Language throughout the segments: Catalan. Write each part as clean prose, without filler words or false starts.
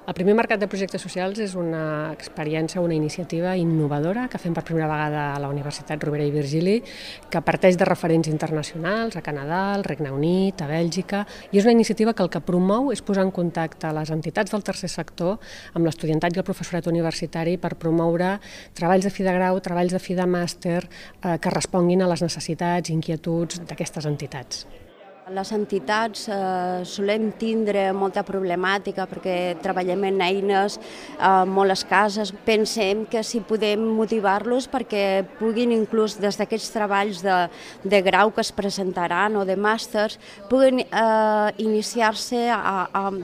El primer mercat de projectes socials és una experiència, una iniciativa innovadora que fem per primera vegada a la Universitat Rovira i Virgili, que parteix de referents internacionals a Canadà, al Regne Unit, a Bèlgica, i és una iniciativa que el que promou és posar en contacte les entitats del tercer sector amb l'estudiantat i el professorat universitari per promoure treballs de fi de grau, treballs de fi de màster que responguin a les necessitats i inquietuds d'aquestes entitats. Les entitats solem tindre molta problemàtica perquè treballem en eines molt escasses. Pensem que si podem motivar-los perquè puguin inclús des d'aquests treballs de grau que es presentaran o de màsters puguin iniciar-se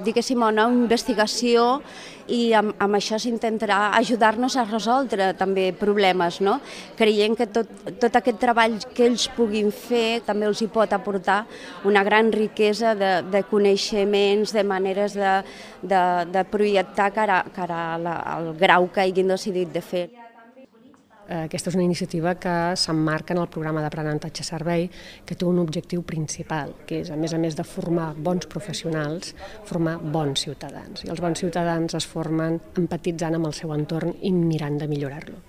diguéssim, a una investigació i amb això s'intentarà ajudar-nos a resoldre també problemes, no? Creiem que tot aquest treball que ells puguin fer també els hi pot aportar una gran riquesa de coneixements, de maneres de projectar cara al grau que hagin decidit de fer. Aquesta és una iniciativa que s'emmarca en el programa d'aprenentatge-servei que té un objectiu principal, que és, a més de formar bons professionals, formar bons ciutadans. I els bons ciutadans es formen empatitzant amb el seu entorn i mirant de millorar-lo.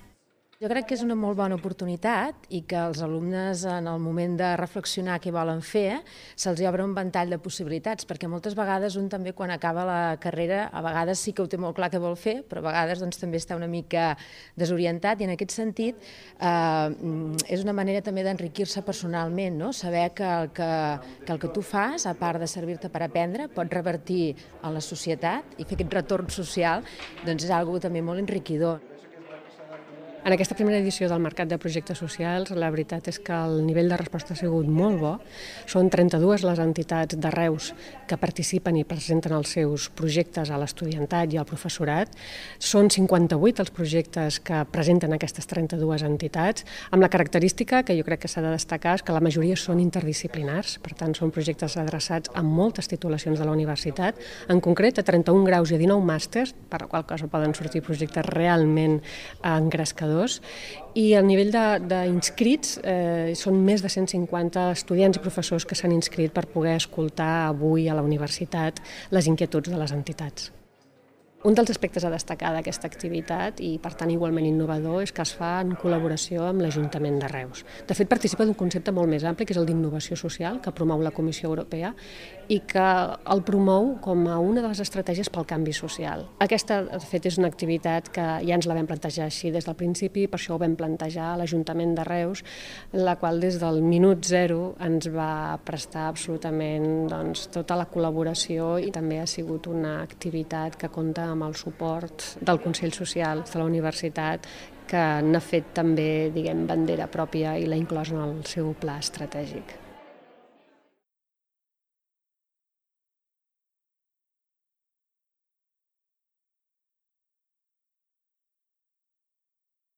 Jo crec que és una molt bona oportunitat i que els alumnes en el moment de reflexionar què volen fer se'ls obre un ventall de possibilitats, perquè moltes vegades un també quan acaba la carrera a vegades sí que ho té molt clar què vol fer, però a vegades també està una mica desorientat i en aquest sentit és una manera també d'enriquir-se personalment, no? Saber que el que tu fas, a part de servir-te per aprendre, pot revertir en la societat i fer aquest retorn social, doncs és una cosa també molt enriquidor. En aquesta primera edició del Mercat de Projectes Socials, la veritat és que el nivell de resposta ha sigut molt bo. Són 32 les entitats de Reus que participen i presenten els seus projectes a l'estudiantat i al professorat. Són 58 els projectes que presenten aquestes 32 entitats, amb la característica que jo crec que s'ha de destacar és que la majoria són interdisciplinars, per tant són projectes adreçats a moltes titulacions de la universitat, en concret a 31 graus i a 19 màsters, per la qual cosa poden sortir projectes realment engrescadors. I el nivell d'inscrits són més de 150 estudiants i professors que s'han inscrit per poder escoltar avui a la universitat les inquietuds de les entitats. Un dels aspectes a destacar d'aquesta activitat, i per tant igualment innovador, és que es fa en col·laboració amb l'Ajuntament de Reus. De fet, participa d'un concepte molt més ampli, que és el d'innovació social, que promou la Comissió Europea i que el promou com a una de les estratègies pel canvi social. Aquesta, de fet, és una activitat que ja ens la vam plantejar així des del principi, per això ho vam plantejar a l'Ajuntament de Reus, la qual des del minut zero ens va prestar absolutament tota la col·laboració i també ha sigut una activitat que compta amb el suport del Consell Social de la Universitat, que n'ha fet també, bandera pròpia i l'ha inclòs en el seu pla estratègic.